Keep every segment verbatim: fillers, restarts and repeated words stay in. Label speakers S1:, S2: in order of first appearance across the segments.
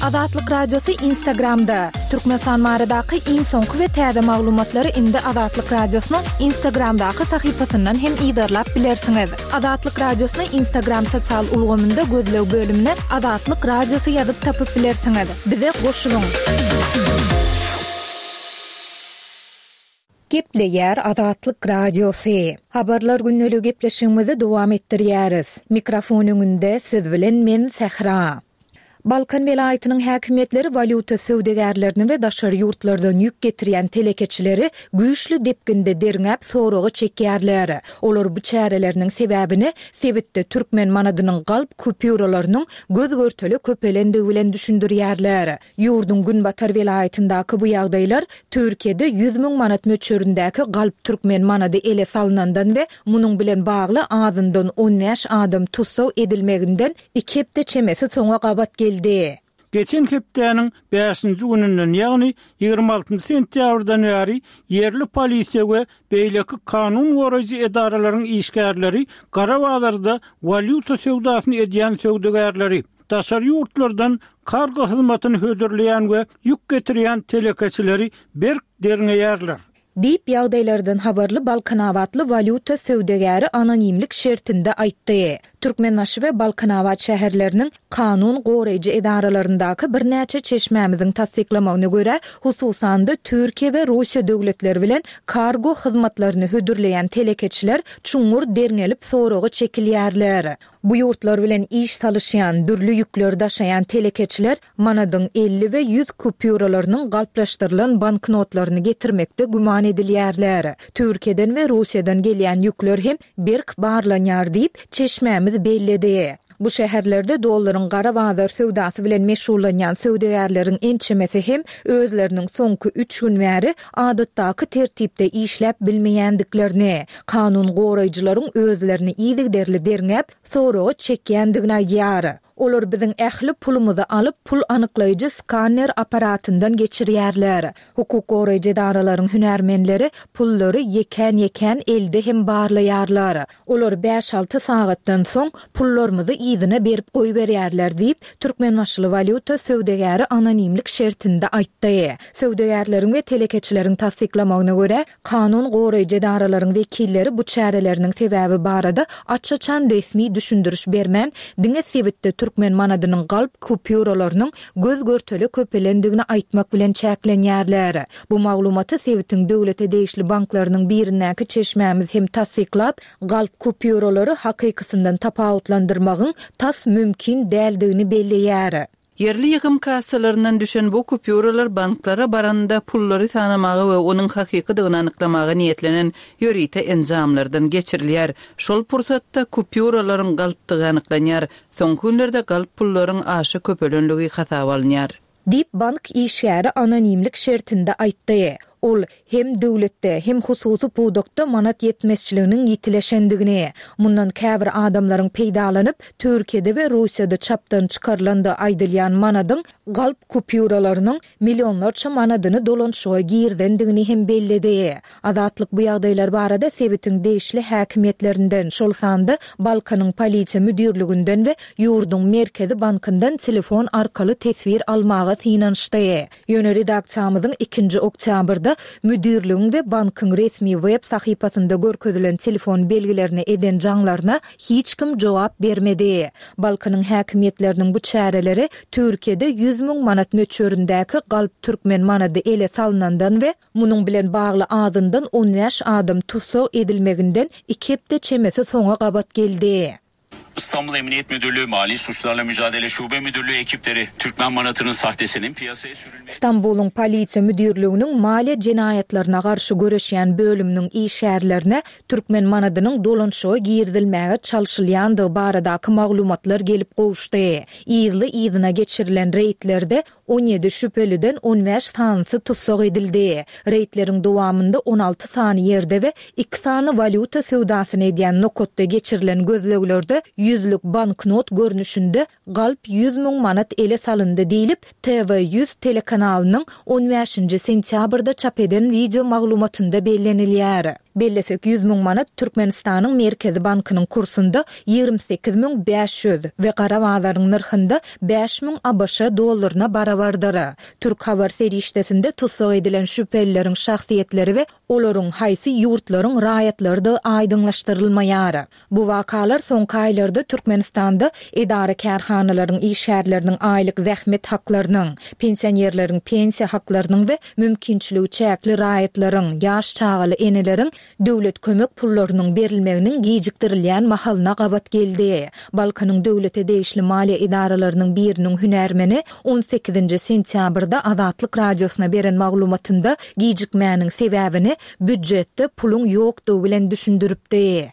S1: Azatlyk Radiosy Instagramda. Türkmenistan baradaky iň soňky we täze maglumatlary indi Azatlyk Radiosynyň Instagramdaky sahypasyndan hem yzarlap bilersiňiz. Azatlyk Radiosyny Instagram sosial ulgamynda gözleg bölümine Azatlyk Radiosy ýazyp tapyp bilersiňiz. Bize goşulyň. Gepleýär Azatlyk Radiosy. Habarlar gündeligi gepleşigimizi dowam etdirýäris. Mikrofon öňünde siz bilen men Sähra. Balkan welaýatynyň häkimiýetleri walýuta söwdagärlerini we daşary ýurtlardan ýük getirýän telekeçileri güýçli depginde derňäp soraga çekýärler. Olar bu çäreleriniň sebäbini sebitde türkmen manadynyň galp kupýuralarynyň göz-görtele köpelendigi bilen düşündirýärler. Ýurduň günbatar welaýatyndaky bu ýagdaýlar Türkiýede ýüz müň manat möçberindäki galp türkmen manady ele salnandan we munuň bilen bagly azyndan on bäş adam tussag edilmeginden iki hepde çemesi soňa gabat geldi.
S2: Geçen hepdäniň bäşinji gününden, ýagny ýigrimi altynjy sentýabrdan bäri ýerli polisiýa we beýleki kanun goraýjy edaralaryň işgärleri gara bazarda walýuta söwdasyny edýän söwdagärleri, daşary ýurtlardan kargo hyzmatyny hödürleýän we ýük getirýän telekeçileri berk derňeýärler.
S1: Diýip, ýagdaýlardan habarly balkanabatly walýuta söwdagäri anonimlik şertinde aýtdy. Türkmenbaşy we Balkanabat şäherleriniň kanun goraýjy edaralaryndaky birnäçe çeşmämiziň tassyklamagyna görä, hususan-da Türkiýe we Russiýa döwletleri bilen kargo hyzmatlaryny hödürleýän telekeçiler çuňňur derňelip soraga çekilýärler. Bu ýurtlar bilen iş salyşýan, dürli ýükleri daşaýan telekeçiler manadyň elli we ýüz kupýuralarynyň galplaşdyrylan banknotlaryny getirmekde güman edilýärler. Türkiýeden we Russiýadan gelýän ýükler hem berk barlanýar diýip, çeşmämiz belledi. Bu şäherlerde dollaryň gara bazar söwdasy bilen meşgullanýan söwdagärleriň ençemesi hem özleriniň soňky üç gün bäri adatdaky tertipde işläp bilmeýändiklerini, kanun goraýjylaryň özlerini yzygiderli derňäp, soraga çekýändigini aýdýar. Olar biziň ähli pulumyzy alyp, pul anyklaýjy skaner aparatyndan geçirýärler. Hukuk goraýjy edaralaryň hünärmenleri pullary ýekän-ýekän elde hem barlaýarlar. Olar bäş-alty sagatdan soň pullarymyzy yzyna berip goýberýärler diýip, Türkmenbaşyly walýuta söwdagäri anonimlik şertinde aýtdy. Söwdagärleriň we telekeçileriň tassyklamagyna görä, kanun goraýjy edaralaryň wekilleri bu çäreleriniň sebäbi barada aç-açan resmi düşündiriş bermän, diňe sebitde türkmen manadynyň galp kupýuralarynyň göz-görtele köpelendigini aýtmak bilen çäklenýärler. Bu maglumaty sebitiň döwlete degişli banklarynyň birindäki çeşmämiz hem tassyklap, galp kupýuralary hakykysyndan tapawutlandyrmagyň tas mümkin däldigini belleýär.
S3: Ýerli ýygym kassalaryndan düşen bu kupýuralar banklara baranda pullary sanamaga we onuň hakykydygyny anyklamaga niýetlenen ýörite enjamlardan geçirilýär. Şol pursatda kupýuralaryň galpdygy anyklanýar. Soňky günlerde galp pullaryň aşa köpelenligi hasaba alynýar.
S1: Diýip, bank işgäri anonimlik şertinde aýtdy. Ol hem döwletde, hem hususy pudakda manat ýetmezçiliginiň ýitileşendigini, mundan käbir adamlaryň peýdalanyp, Türkiýede we Russiýada çapdan çykarylandygy aýdylýan manadyň galp kupýuralarynyň millionlarça manadyny dolanyşyga girizendigini hem belledi. Azatlyk bu ýagdaýlar barada sebitiň degişli häkimiýetlerinden, şol sanda Balkanyň polisiýa müdirliginden we ýurduň Merkezi bankyndan telefon arkaly teswir almaga synanyşdy. Ýöne redaksiýamyzyň ikinji oktýabrda müdirligiň we bankyň resmi web sahypasynda görkezilen telefon belgilerine eden jaňlaryna hiç kim jogap bermedi. Balkanyň häkimiýetleriniň bu çäreleri Türkiýede ýüz müň manat möçberindäki galp türkmen manady ele salnandan we munuň bilen bagly azyndan on bäş adam tussag edilmeginden iki hepde çemesi soňa gabat geldi.
S4: İstanbul Emniyet Müdürlüğü Mali Suçlarla Mücadele Şube Müdürlüğü ekipleri Türkmen manatının sahtesinin piyasaya sürülmesi
S1: Stambulyň Polisiýa müdirliginiň maliýe jenaýatlaryna garşy göreşýän bölüminiň işgärlerine türkmen manadynyň dolanyşyga girizilmäge çalşylýandygy baradaky maglumatlar gelip gowuşdy. Yzly-yzyna geçirilen reýdlerde on ýedi şübheliden on bäş sanysy tussag edildi. Reýdleriň dowamynda on alty sany ýerde we iki sany walýuta söwdasyny edýän nokatda geçirilen gözleglerde ýüzlük banknot görnüşinde galp ýüz müň manat ele salyndy diýlip, T V ýüz telekanalynyň on bäşinji sentýabrda çap eden wideo maglumatynda bellenilýär. Bellesek, ýüz müň manat Türkmenistanyň Merkezi bankynyň kursunda ýigrimi sekiz müň bäş ýüz we gara bazaryň nyrhynda bäş müň ABŞ dollaryna barabardyr. Türk habar serişdesinde tussag edilen şübhelileriň şahsyýetleri we olaryň haýsy ýurtlaryň raýatlarydygy aýdyňlaşdyrylmaýar. Bu wakalar soňky aýlarda Türkmenistanda edara-kärhanalaryň işgärleriniň aýlyk zähmet haklarynyň, pensionerleriň pensiýa haklarynyň we mümkinçiligi çäkli raýatlaryň, ýaş çagaly eneleriň döwlet kömek pullarynyň berilmeginiň gijikdirilýän mahalyna gabat geldi. Balkanyň döwlete degişli maliýe edaralarynyň biriniň hünärmeni on sekizinji sentýabrda Azatlyk Radiosyna beren maglumatynda gijikmäniň sebäbini býujetde puluň ýokdugy bilen düşündiripdi.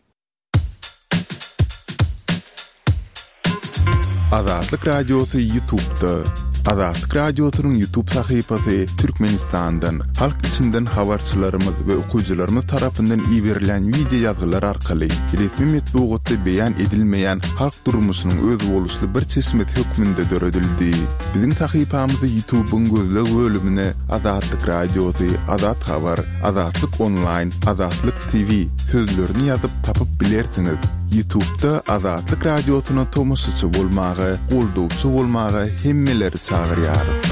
S5: Azatlyk Radiosy YouTube'da. Azatlyk Radiosynyň YouTube sahypasy Türkmenistandan, halk içinden habarçylarymyz we okyjylarymyz tarapyndan iberilen wideo ýazgylar arkaly resmi metbugatda beýan edilmeýän halk durmuşynyň özboluşly bir çeşmesi hökmünde döredildi. Biziň sahypamyzy YouTube'yň gözleg bölümine Azatlyk Radiosy, Azat Habar, Azatlyk Online, Azatlyk T V sözlerini ýazyp tapyp bilersiňiz. YouTube'da Azatlyk Radiosyna tomaşaçy bolmaga, goldawçy bolmaga hemmeleri çagyrýarys.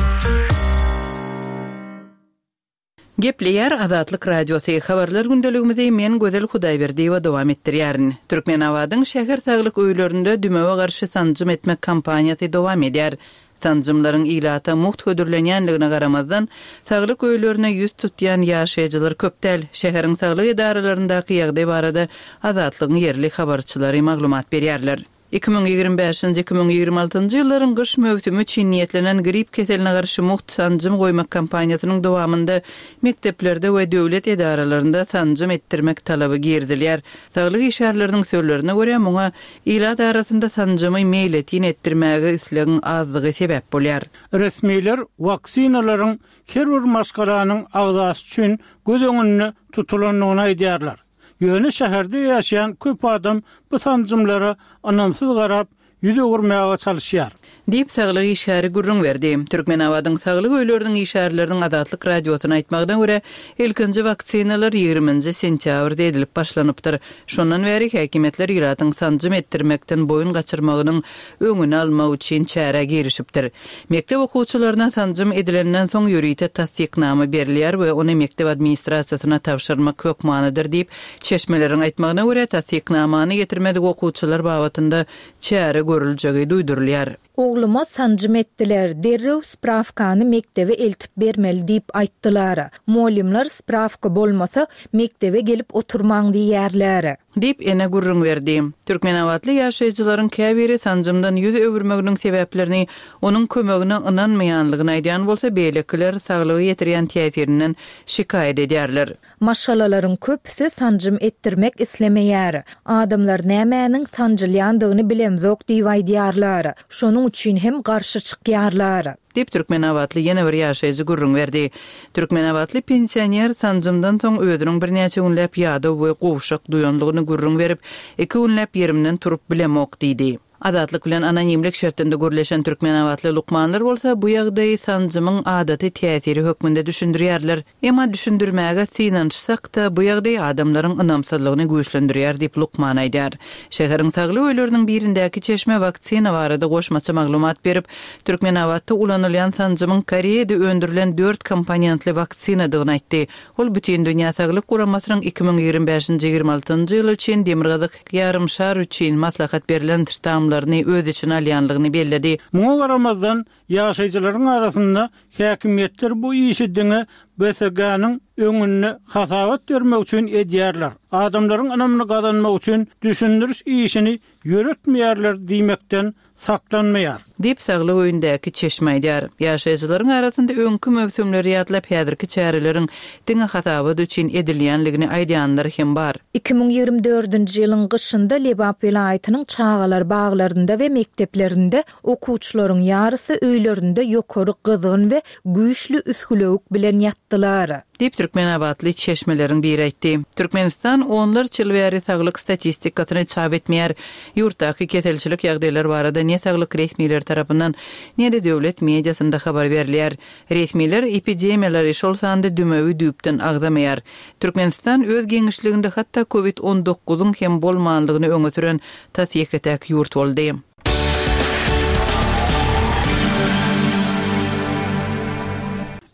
S3: Gepleýär Azatlyk Radiosy. Habarlar gündeligimizi men Gözel Hudaýberdiýewa dowam etdirýärin. Türkmenabadyň şäher saglyk öýlerinde dümewe garşy sanjym etmek kampaniýasy dowam edýär. Sanjymlaryň ilata mugt hödürlenýänligine garamazdan, saglyk öýlerine ýüz tutýan ýaşaýjylar köp däl. Şäheriň saglyk edaralaryndaky ýagdaý barada Azatlygyň ýerli habarçylary maglumat berýärler. Iki müň ýigrimi bäşinji, iki müň ýigrimi altynjy ýyllaryň gyş möwsümi üçin niýetlenen grip keseline garşy mugt sanjym goýmak kampaniýasynyň dowamynda mekdeplerde we döwlet edaralarynda sanjym etdirmek talaby girizilýär. Saglyk işgärleriniň sözlerine görä, muňa ilat arasynda sanjymy meýletin etdirmäge islegiň azlygy sebäp bolýar.
S2: Resmiler waksinalaryň her bir maşgalanyň agzasy üçin göz öňünde tutulandygyny aýdýarlar. Ýöne şäherde ýaşaýan köp adam bu sanjymlara ynamsyz garap ýüz öwürmäge çalyşýar.
S3: Diýip saglyk işgäri gürrüň berdi. Türkmenabadyň saglyk öýleriniň işgärleriniň Azatlyk Radiosyna aýtmagyna görä, ilkinji waksinalar ýigriminji sentýabrda edilip başlanypdyr. Şondan bäri häkimiýetler ilatyň sanjym etdirmekden boýun gaçyrmagynyň öňüni almak üçin çärä girişipdir. Mekdep okuwçylaryna sanjym edilenden soň ýörite tassyknama berilýär we ony mekdep administrasiýasyna tabşyrmak hökmanydyr diýip, çeşmeleriň aýtmagyna görä tassyknamany getirmedik okuwçylar babatynda çäre görüljegi duýdurylýar.
S1: Ogluma sanjym etdiler, derrew spravkany mektebe eltip bermeli diýip aýtdylar. Muallimler spravka bolmasa mektebe gelip oturmaň diýerler.
S3: Diýip ene gürrüň berdi. Türkmenabatly ýaşaýjylaryň käbiri sanjymdan ýüz öwürmeginiň sebäplerini onuň kömegine ynanmaýanlygyny aýdýan bolsa, beýlekiler saglygy ýetirýän täsirinden şikaýat edýärler.
S1: Maşgalalaryň köpüsi sanjym etdirmek islemeýär. Adamlar nämäniň sanjylýandygyny bilemzok diýip aýdýarlar. Şonuň üçin hem garşy çykýarlar.
S3: Diýip Türkmenabatly ýene bir ýaşaýjy gürrüň berdi. Türkmenabatly pensioner sanjymdan soň özüniň birnäçe günläp ýadaw we gowşak duýanlygyny gürrüň berip, iki günläp ýerimden turup bilemok diýdi. Azatlyk bilen anonimlik şertinde gürleşen Türkmenabatly lukmanlar bolsa bu ýagdaýy sanjymyň adaty täsiri hökmünde düşündirýärler. Emma düşündirmäge synanyşsak-da bu ýagdaý adamlaryň ynamsyzlygyny güýçlendirýär diýip lukman aýdar. Şäheriň saglyk öýleriniň birindäki çeşme waksina barada goşmaça maglumat berip, Türkmenabatda ulanylýan sanjymyň Koreýada öndürilen dört komponentli waksinadygyny aýtdy. Ol bütün dünýä saglyk guramasynyň iki müň ýigrimi bäşinji ýigrimi altynjy ýyl üçin Demirgazyk ýarymşar üçin maslahat berlen ştamlaryny öz içine alýanlygyny belledi.
S2: Muňa garamazdan ýaşaýjylaryň arasynda häkimiýetler bu işi diňe B S G-niň öňünde hasabat bermek üçin edýärler. Adamlaryň ynamyny gazanmak üçin düşündiriş işini ýöretmeýärler diýmekden saklanmaýar.
S3: Diýip saglyk öýündäki çeşme aýdar. Ýaşaýjylaryň arasynda öňkü möwsümleri ýatlap häzirki çäreleriň diňe hasabat üçin edilýänligini aýdýanlar hem bar.
S1: Iki müň ýigrimi dördünji ýylyň gyşynda Lebap welaýatynyň çagalar baglarynda we mekdeplerinde okuwçylaryň ýarysy öýlerinde ýokary gyzgyn we güýçli üsgülewük bilen ýatdylar.
S3: Diýip Türkmenabatly çeşmeleriň biri aýtdy. Türkmenistan onlarça ýyl bäri saglyk statistikasyny çap etmeýär. Ýurtdaky keselçilik ýagdaýlary barada ne saglyk resmileri tarapyndan, ne-de döwlet mediasynda habar berilýär. Resmiler epidemiýalary, şol sanda dümewi düýpden agzamaýar. Türkmenistan öz giňişliginde hatda Covid on dokuzyň hem bolmanlygyny öňe süren tas ýeke-täk ýurt boldy.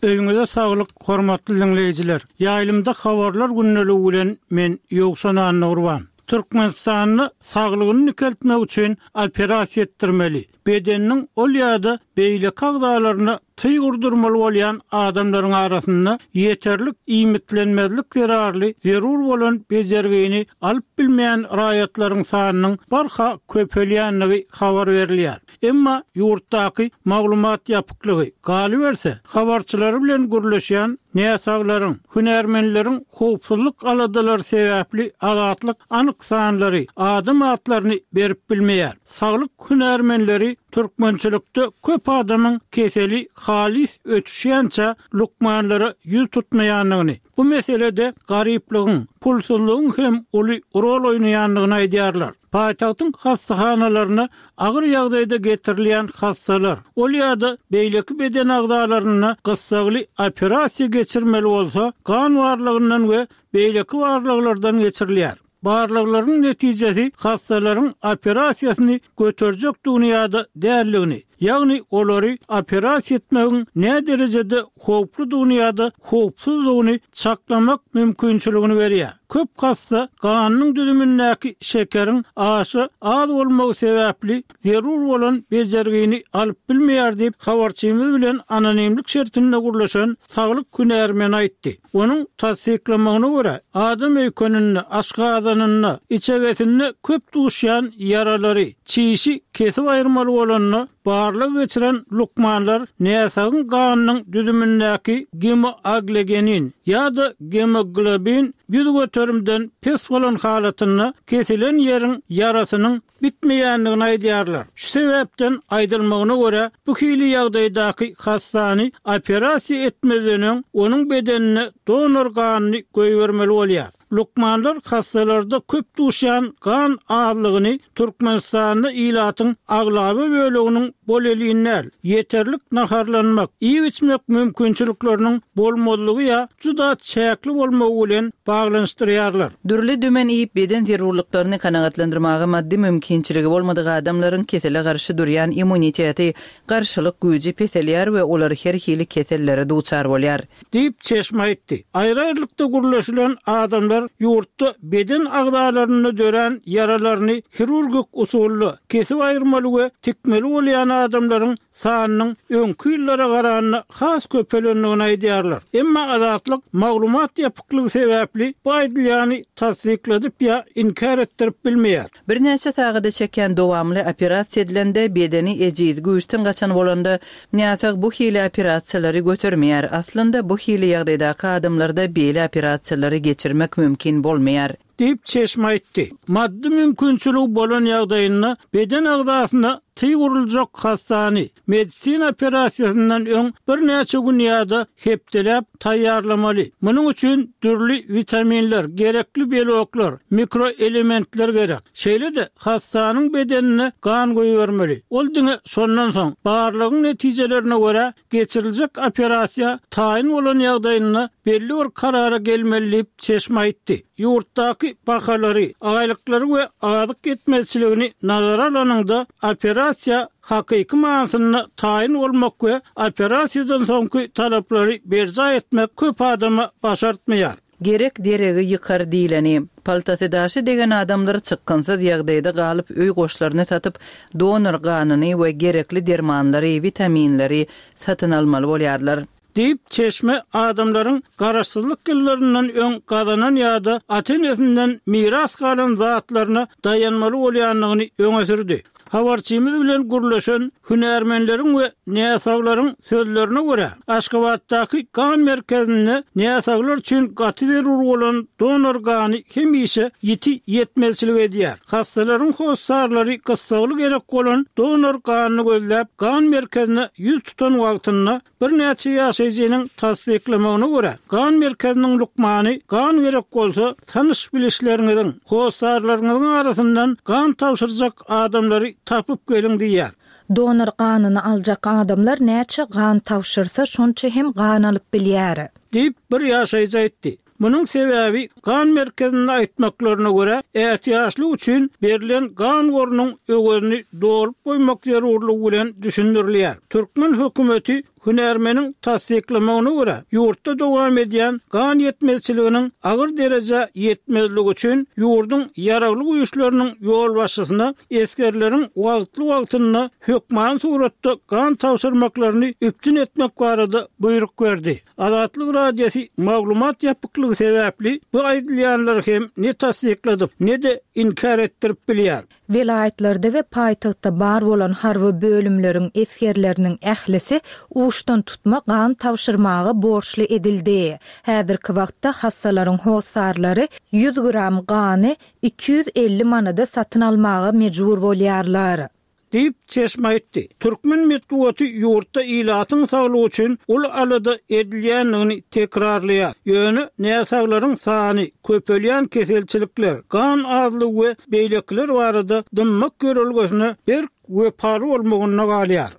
S2: Öýüňize saglyk, hormatly dinleýjiler. Ýaýlymda habarlar gündeligi bilen men Ýowşan Annagurban. Türkmenistanda saglygyny dikeltmek üçin operasiýa etdirmeli. Bedeniniň ol ýa-da beýleki agzalaryna tyg urdurmaly bolýan adamlaryň arasynda ýeterlik iýmitlenmezlik zerarly zerur bolan bejergini alyp bilmeýän raýatlaryň sanynyň barha köpelýänligi habar berilýär. Emma ýurtdaky maglumat ýapyklygy galyberse, habarçylary bilen gürleşýän näsaglaryň, hünärmenleriň howpsuzlyk aladalary sebäpli azatlyk anyk sanlary, adam atlaryny berip bilmeýär. Saglyk hünärmenleri türkmençilikde köp adamyň keseli halis ötüşýänçä lukmanlara ýüz tutmaýanlygyny, bu meselede garyplygyň, pulsuzlygyň hem uly rol oýnaýanlygyny aýdýarlar. Paýtagtyň hastahanalaryna agyr ýagdaýda getirilýän hastalar, ol ýa-da beýleki beden agzalaryna gyssagly operasiýa geçirmeli bolsa, gan barlagyndan we beýleki barlaglardan geçirilýär. Barlaglaryň netijesi hastalaryň operasiýasyny göterjekdigini ýa-da däldigini, ýagny olary operasiýa etmegiň nä derejede howpludygyny ýa-da howpsuzdygyny çaklamak mümkinçiligini berýär. Köp hassa ganyň düzümindäki şekeriň aşa az bolmagy sebäpli zerur bolan bejergini alyp bilmeýär diýip habarçymyz bilen anonimlik şertinde gürleşen saglyk hünärmeni aýtdy. Onuň tassyklamagyna görä, adam öýkeninde, aşgazanynda, içegesinde köp duşýan ýaralary, çişi kesip aýyrmaly bolanda barlag geçiren lukmanlar näsagyň ganynyň düzümindäki gemoaglegenin ýa-da gemoglobin ýüz göterimden pes bolan halatynda kesilen ýeriň ýarasynyň bitmeýändigini aýdýarlar. Şu sebäpden aýdylmagyna görä, bu hili ýagdaýdaky hassany operasiýa etmezden öň onuň bedenine donor ganyny goýbermeli bolýar. Lukmanlar hastalarda köp duşýan gan azlygyny Türkmenistanda ilatyň aglaba böleginiň bolelin däl, ýeterlik naharlanmak, iýip-içmek mümkinçilikleriniň bolmazlygy ýa juda çäkli bolmagy bilen baglanyşdyrýarlar.
S3: Dürli dümen iýip beden zerurlyklaryny kanagatlandyrmaga maddy mümkinçiligi bolmadyk adamlaryň kesele garşy durýan immuniteti, garşylyk güýji peselýär we olar her hili kesellere duçar bolýar.
S2: Diýip çeşme aýtdy. Aýry-aýrylykda gürleşilen adamlar ýurtda beden agzalarynda dörän ýaralaryny hirurgik usulda kesip aýyrmaly we tikmeli bolýan adamlaryň sanynyň öňki ýyllara garanda has köpelendigini aýdýarlar. Emma azatlyk maglumat ýapyklygy sebäpli bu aýdylýany tassykladyp ýa inkär etdirip bilmeýär.
S3: Birnäçe sagada çeken dowamly operasiýa edilende bedeni ejiz güýçden gaçan bolanda näsag bu hili operasiýalary götermeýär. Aslynda bu hili ýagdaýdaky adamlarda beýle operasiýalary geçirmek mümkin bolmaýar.
S2: Diýip çeşme aýtdy. Maddy mümkinçiligi bolan ýagdaýynda beden agzasyna tyg uruljak hassany medisina operasiýasyndan öň birnäçe gün ýa-da hepdeläp taýýarlamaly. Munuň üçin dürli witaminler, gerekli beloklar, mikroelementler gerek. Şeýle-de hassanyň bedenine gan goýbermeli. Ol diňe şondan soň barlagyň netijelerine görä geçiriljek operasiýa taýyn bolan ýagdaýynda belli bir karara gelmeli diýip çeşme aýtdy. Ýurtdaky bahalary, aýlyklary we azyk ýetmezçiligini nazara alanyňda operasiýa hakyky manysynda taýyn bolmak we operasiýadan soňky talaplary berjaý etmek köp adama başartmaýar.
S3: Gerek deregi ýykar diýleni. Paltasy daşy degen adamlar çykgynsyz ýagdaýda galyp öý goşlaryny satyp, donor ganyny we gerekli dermanlary, witaminleri satyn almaly bolýarlar.
S2: Diýip çeşme adamlaryň garaşsyzlyk ýyllaryndan öň gazanan ýa-da ata-enesinden miras galan zatlaryna daýanmaly bolýandygyny öňe sürdi. Habarçymyz bilen gürleşen hünärmenleriň we näsaglaryň sözlerine görä, Aşgabatdaky gan merkezinde näsaglar üçin gaty zerur bolan donor gany hemişe ýiti ýetmezçilik edýär. Hastalaryň hossarlary gyssagly gerek bolan donor ganyny gözläp, gan merkezine ýüz tutan wagtynda birnäçe ýaşaýjynyň tassyklamagyna görä, gan merkeziniň lukmany gan gerek bolsa, tanyş bilişleriňiziň, hossarlaryňyzyň arasyndan gan tabşyrjak adamlary tapyp geliň diýýär.
S1: Donor ganyny aljak adamlar näçe gan tabşyrsa, şonça hem gan alyp bilýär.
S2: Diýip bir ýaşaýjy aýtdy. Munuň sebäbi gan merkezinde aýtmaklaryna görä, ätiýaçlyk üçin berlen gan gorunyň öwezini dolup goýmak zerurlygy bilen düşündirilýär. Türkmen hökümeti hünärmeniň tassyklamagyna görä, ýurtda dowam edýän gan ýetmezçiliginiň agyr derejä ýetmezligi üçin ýurduň ýaragly güýçleriniň ýolbaşçysyna esgerleriň wagtly-wagtynda hökman suratda gan tabşyrmaklaryny üpjün etmek barada buýruk berdi. Azatlyk Radiosy maglumat ýapyklygy sebäpli bu aýdylýanlary hem ne tassykladyp, ne-de inkär etdirip bilýär.
S1: Welaýatlarda we paýtagtda bar bolan harby bölümleriň esgerleriniň ählisi uçdan tutma gan tabşyrmaga borçly edildi. Häzirki wagtda hassalaryň hossarlary ýüz gram gany iki ýüz elli manada satyn almaga mejbur bolýarlar.
S2: Diýip çeşme aýtdy. Türkmen metbugaty ýurtda ilatyň saglygy üçin uly alada edilýändigini tekrarlaýar. Ýöne näsaglaryň sany, köpelýän keselçilikler, gan azlygy we beýlekiler barada dymmak ýörelgesine berk wepaly bolmagynda galýar.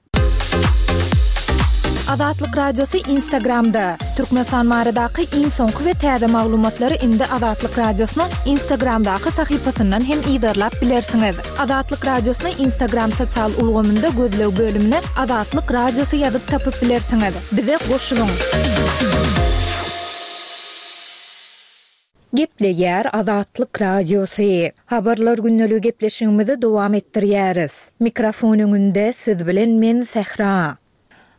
S1: Azatlyk Radiosy Instagramda. Türkmenistan baradaky iň soňky we täze maglumatlary indi Azatlyk Radiosynyň Instagramdaky sahypasyndan hem yzarlap bilersiňiz. Azatlyk Radiosyny Instagram sosial ulgamynda gözleg bölümine Azatlyk Radiosy ýazyp tapyp bilersiňiz. Bize goşulyň. Gepleýär Azatlyk Radiosy. Habarlar gündeligi gepleşigimizi dowam etdirýäris. Mikrofon öňünde siz bilen men Sähra.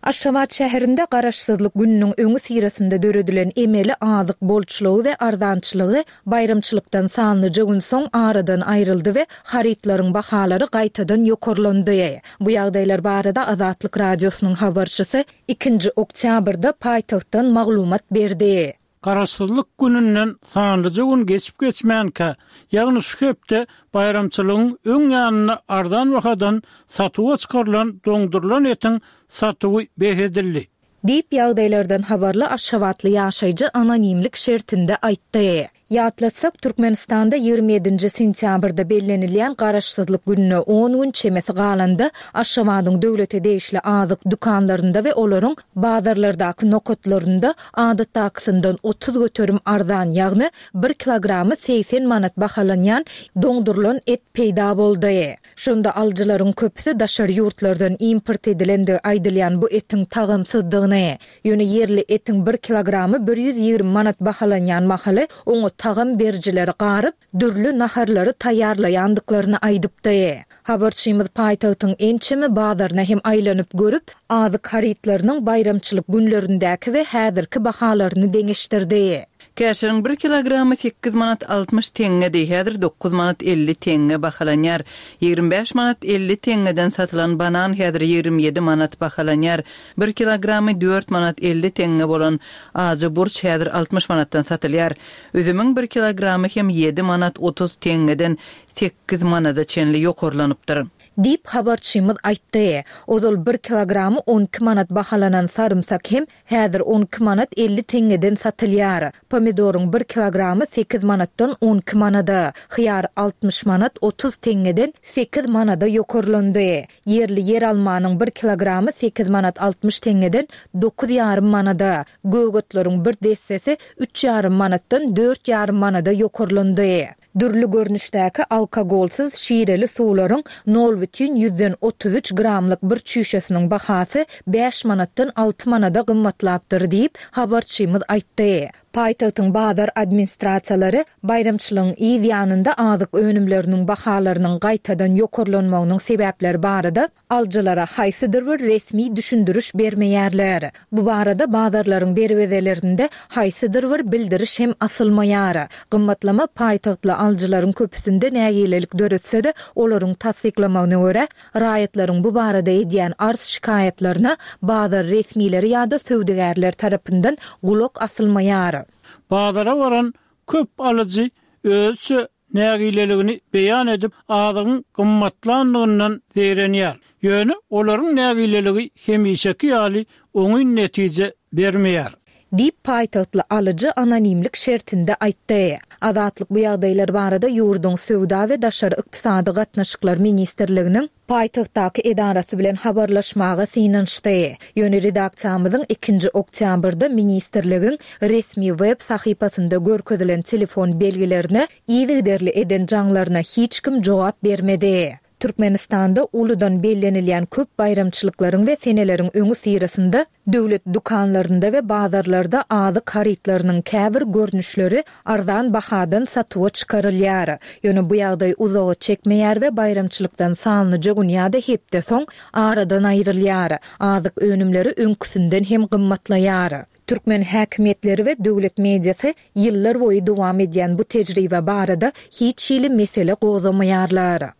S1: Aşgabat şäherinde Garaşsyzlyk gününiň öňi syrasynda döredilen emeli azyk bolçulygy we arzançylygy baýramçylykdan sanlyja gün soň aradan aýryldy we harytlaryň bahalary gaýtadan ýokarlandy. Bu ýagdaýlar barada Azatlyk Radiosynyň habarçysy ikinji oktýabrda paýtagtdan maglumat berdi.
S2: Garaşsyzlyk gününden sanlyja gün geçip geçmänkä, ýagny şu hepde baýramçylygyň öň ýanynda arzan bahadan satuwa çykarylan doňdurylan etiň satuwy bes edildi.
S1: Diýip ýagdaýlardan habarly Aşgabatly ýaşaýjy anonimlik şertinde aýtdy. Ýatlatsak, Türkmenistanda ýigrimi ýedinji sentýabrda bellenilýän Garaşsyzlyk gününe on gün çemesi galanda Aşgabadyň döwlete degişli azyk dükanlarynda we olaryň bazarlardaky nokatlarynda adatdakysyndan otuz göterim arzan, ýagny bir kilogramy segsen manat bahalanýan doňdurylan et peýda boldy. Şonda alyjylaryň köpüsi daşary ýurtlardan import edilendigi aýdylýan bu etiň tagamsyzdygyny, ýöne ýerli etiň bir kilogramy bir ýüz ýigrimi manat bahalanýan mahaly oňa tagam berijileri garyp, dürli naharlary taýýarlaýandyklaryny aýdypdy. Habarçymyz paýtagtyň ençeme bazaryna hem aýlanyp görüp, azyk harytlarynyň baýramçylyk günlerindäki we häzirki bahalaryny deňeşdirdi.
S3: Käşiriň bir kilogramy sekiz manat altmyş teňňedi, häzir dokuz manat elli teňňe bahalanýar. Ýigrimi bäş manat elli teňňeden satylan banan häzir ýigrimi ýedi manat bahalanýar. Bir kilogramy dört manat elli teňňe bolan ajy burç häzir altmyş manatdan satylýar. Üzümiň bir kilogramy hem ýedi manat otuz teňňeden sekiz manada çenli ýokarlanypdyr.
S1: Diýip habarçymyz aýtdy. Ozal bir kilogramy on iki manat bahalanan sarymsak hem häzir on iki manat elli teňňeden satylýar. Pomidoryň bir kilogramy sekiz manatdan on iki manada, hyýar altmyş manat otuz teňňeden sekiz manada ýokarlandy. Ýerli ýer almanyň bir kilogramy sekiz manat altmyş teňňeden dokuz ýarym manada, gögötleriň bir dessesi üç ýarym manatdan dört ýarym manada ýokarlandy. Dürli görnüşdäki alkogolsyz şireli suwlaryň nol bütin ýüzden otuz üç gramlyk bir çüýşesiniň bahasy bäş manatdan alty manada gymmatlapdyr diýip habarçymyz aýtdy. Paýtagtyň bazar administrasiýalary baýramçylygyň yz ýanynda azyk önümleriniň bahalarynyň gaýtadan ýokarlanmagynyň sebäpleri barada alyjylara haýsydyr bir resmi düşündiriş bermeýärler. Bu barada bazarlaryň derwezelerinde haýsydyr bir bildiriş hem asylmaýar. Gymmatlama paýtagtly alyjylaryň köpüsinde nägilelik döretse-de, olaryň tassyklamagyna görä, raýatlaryň bu barada edýän arz şikaýatlaryna bazar resmileri ýa-da söwdagärler tarapyndan gulak asylmaýar.
S2: Bazara varan köp alyjy özçe nägileligini beýan edip, azygyň gymmatlandygyndan zeýrenýär. Ýöne olaryň nägileligi hemişeki ýaly oňyn netije bermeýär.
S1: Diýip, paýtagtly alyjy anonimlik şertinde aýtdy. Azatlyk bu ýagdaýlar barada ýurduň Söwda we daşary ykdysady gatnaşyklar ministrliginiň paýtagtdaky edarasy bilen habarlaşmaga synanyşdy. Ýöne redaksiýamyzyň ikinji oktýabrda ministrligiň resmi web sahypasynda görkezilen telefon belgilerine yzygiderli eden jaňlaryna hiç kim jogap bermedi. Türkmenistanda uludan bellenilýän köp baýramçylyklaryň we seneleriň öňüsyrasynda döwlet dükanlarynda we bazarlarda azyk harytlarynyň käbir görnüşleri arzan bahadan satuwa çykarylýar. Ýöne bu ýagdaý uzaga çekmeýär we baýramçylykdan sanlyja gün ýa-da hepde soň aradan aýrylýar. Azyk önümleri öňküsinden hem gymmatlaýar. Türkmen häkimiýetleri we döwlet mediasy ýyllar boýy dowam edýän bu tejribe barada hiç hili mesele gozgamaýarlar.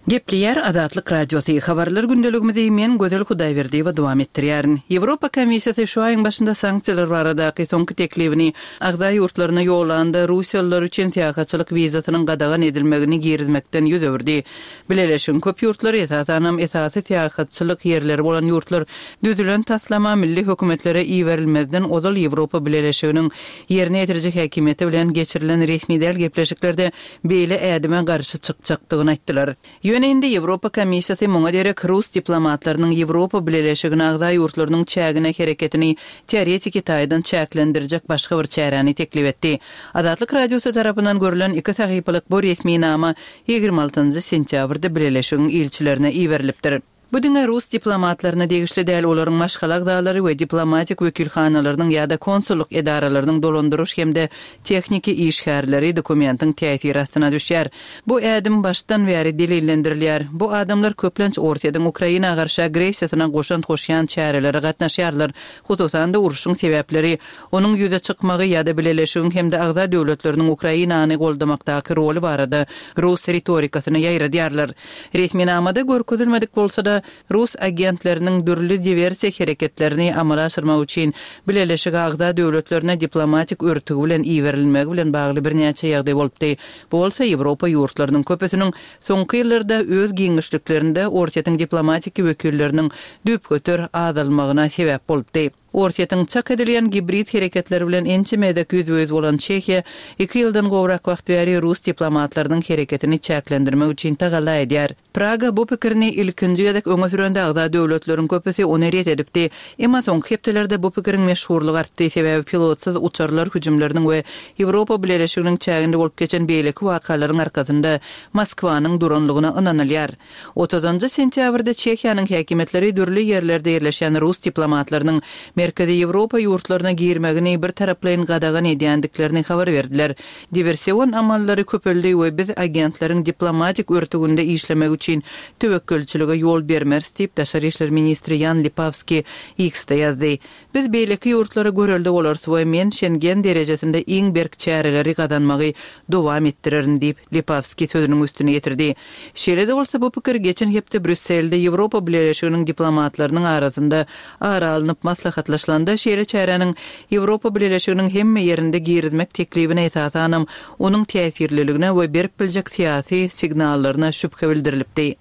S3: Gepleýär Azatlyk Radiosy, Habarlar gündeligimizi men Gözel Hudaýberdiýewa dowam etdirýärin. Ýewropa Komissiýasy şu aýyň başynda sanksiýalar baradaky soňky teklibini agza ýurtlaryna ýollanda russiýalylar üçin syýahatçylyk wizasynyň gadagan edilmegini girizmekden ýüz öwürdi. Bileleşigiň köp ýurtlary, esasanam esasy syýahatçylyk ýerleri bolan ýurtlar düzülen taslama milli hökümetlere iberilmezden ozal Ýewropa Bileleşiginiň ýerine ýetiriji häkimiýeti bilen geçirilen resmi däl gepleşiklerde beýle ädime garşy çykjakdygyny aýtdylar. Ýöne indi Ýewropa Komissiýasy muňa derek rus diplomatlarynyň Ýewropa Bileleşigine agza ýurtlarynyň çägine hereketini teoretiki taýdan çäklendirjek başga bir çäräni teklip etdi. Azatlyk Radiosy tarapyndan görlen iki sahypalyk bu resminama ýigrimi altynjy sentýabrda Bileleşigiň ilçilerine iberilipdir. Bu diňe rus diplomatlaryna degişli däl, olaryň maşgala agzalary we diplomatik wekilhanalarynyň ýa-da konsullyk edaralarynyň dolandyryş hem-de tehniki işgärleri dokumentiň täsiri astyna düşýär. Bu ädim başdan bäri delillendirilýär. Bu adamlar köplenç Orsýetiň Ukraina garşy agressiýasyna goşant goşýan çärelere gatnaşýarlar, hususan-da urşuň sebäpleri, onuň ýüze çykmagy ýa-da Bileleşigiň hem-de agza döwletleriniň Ukrainany goldamakdaky roly barada rus ritorikasyny ýaýradýarlar. Resminamada görkezilmedik bolsa-da, rus agentleriniň dürli diwersiýa hereketlerini amala aşyrmak üçin Bileleşige agza döwletlerine diplomatik örtügi bilen iberilmegi bilen bagly birnäçe ýagdaý bolupdy. Bu bolsa Ýewropa ýurtlarynyň köpüsiniň soňky ýyllarda öz giňişliklerinde Orsýetiň diplomatiki wekilleriniň düýpgöter azalmagyna sebäp bolupdy. Orsýetiň çak edilýän gibrid hereketleri bilen ençeme gezek ýüzbe-ýüz bolan Çehiýa iki ýyldan gowrak wagt bäri rus diplomatlarynyň hereketini çäklendirmek üçin tagalla edýär. Praga bu pikirini ilkinji gezek öňe sürende agza döwletleriň köpüsi ony ret edipdi. Emma soňky hepdelerde bu pikiriň meşhurlygy artdy, sebäbi pilotsyz uçarlar hüjümleriniň we Ýewropa Bileleşiginiň çäginde bolup geçen beýleki wakalaryň arkasynda Moskwanyň duranlygyna ynanylýar. Otuzynjy sentýabrda Çehiýanyň häkimiýetleri dürli ýerlerde ýerleşýän rus diplomatlarynyň Merkezi Ýewropa ýurtlaryna girmegini birtaraplaýyn gadagan edýändiklerini habar berdiler. Diwersion amallary köpeldi we biz agentleriň diplomatik örtüginde işlemegi üçin töwekgelçilige ýol bermeris diýip, daşary işler ministri Ýan Lipawski X-de ýazdy. Biz beýleki ýurtlara görelde bolarys we men Şengen derejesinde iň berk çäreleri gazanmagy dowam etdirerin diýip, Lipawski sözüniň üstüni ýetirdi. Şeýle-de bolsa, bu pikir geçen hepde Brýusselde Ýewropa Bileleşiginiň diplomatlarynyň arasynda ara alnyp maslahatlaşylanda, şeýle çäräniň Ýewropa Bileleşiginiň hemme ýerinde girizmek teklibine esasanam onuň täsirliligine we berip biljek syýasy signallaryna şübhe bildirilipdi.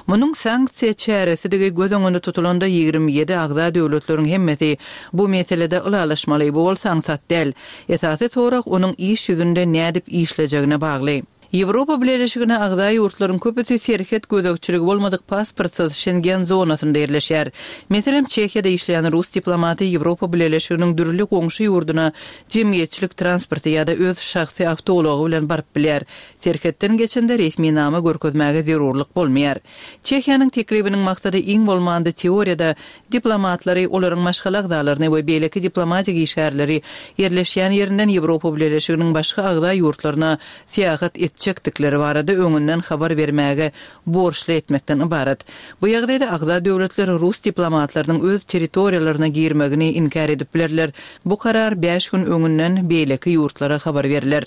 S3: Munuň sanksiýa çäresidigi göz öňünde tutulanda ýigrimi ýedi agza döwletleriň hemmesi bu meselede ylalaşmaly, bu bolsa aňsat däl. Esasy sorag onuň iş ýüzünde nädip işlejegine bagly. Ýewropa Bileleşigine agza ýurtlaryň köpüsi serhet gözegçiligi bolmadyk pasportsyz Şengen zonasynda ýerleşýär. Meselem, Çehiýada işleýän rus diplomaty Ýewropa Bileleşiginiň dürli goňşy ýurduna jemgyýetçilik transporty ýa-da öz şahsy awtoulagy bilen baryp bilýär. Serhetden geçende resminama görkezmäge zerurlyk bolmaýar. Çehiýanyň teklibiniň maksady iň bolmanda teoriýada diplomatlary, olaryň maşgala agzalaryny we beýleki diplomatik işgärleri ýerleşýän ýerinden Ýewropa Bileleşiginiň başga agza ýurtlaryna syýahat etjekdikleri barada öňünden habar bermäge borçly etmekden ybarat. Bu ýagdaýda agza döwletler rus diplomatlarynyň öz territoriýalaryna girmegini inkär edip bilerler. Bu karar bäş gün öňünden beýleki ýurtlara habar berler.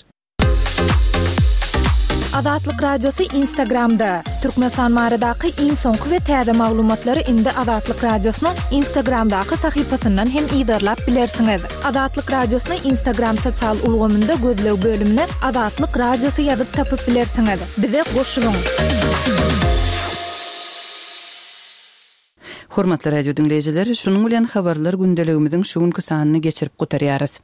S1: Azatlyk Radiosy Instagramda. Türkmenistan baradaky iň soňky we täze maglumatlary indi Azatlyk Radiosynyň Instagramdaky sahypasyndan hem yzarlap bilersiňiz. Azatlyk Radiosyny Instagram sosial ulgamynda gözleg bölümine Azatlyk Radiosy ýazyp tapyp bilersiňiz. Bize goşulyň!
S3: Hormatly radio diňleýjiler, şunuň bilen habarlar gündeligimiziň şu günki sanyny geçirip gutarýarys.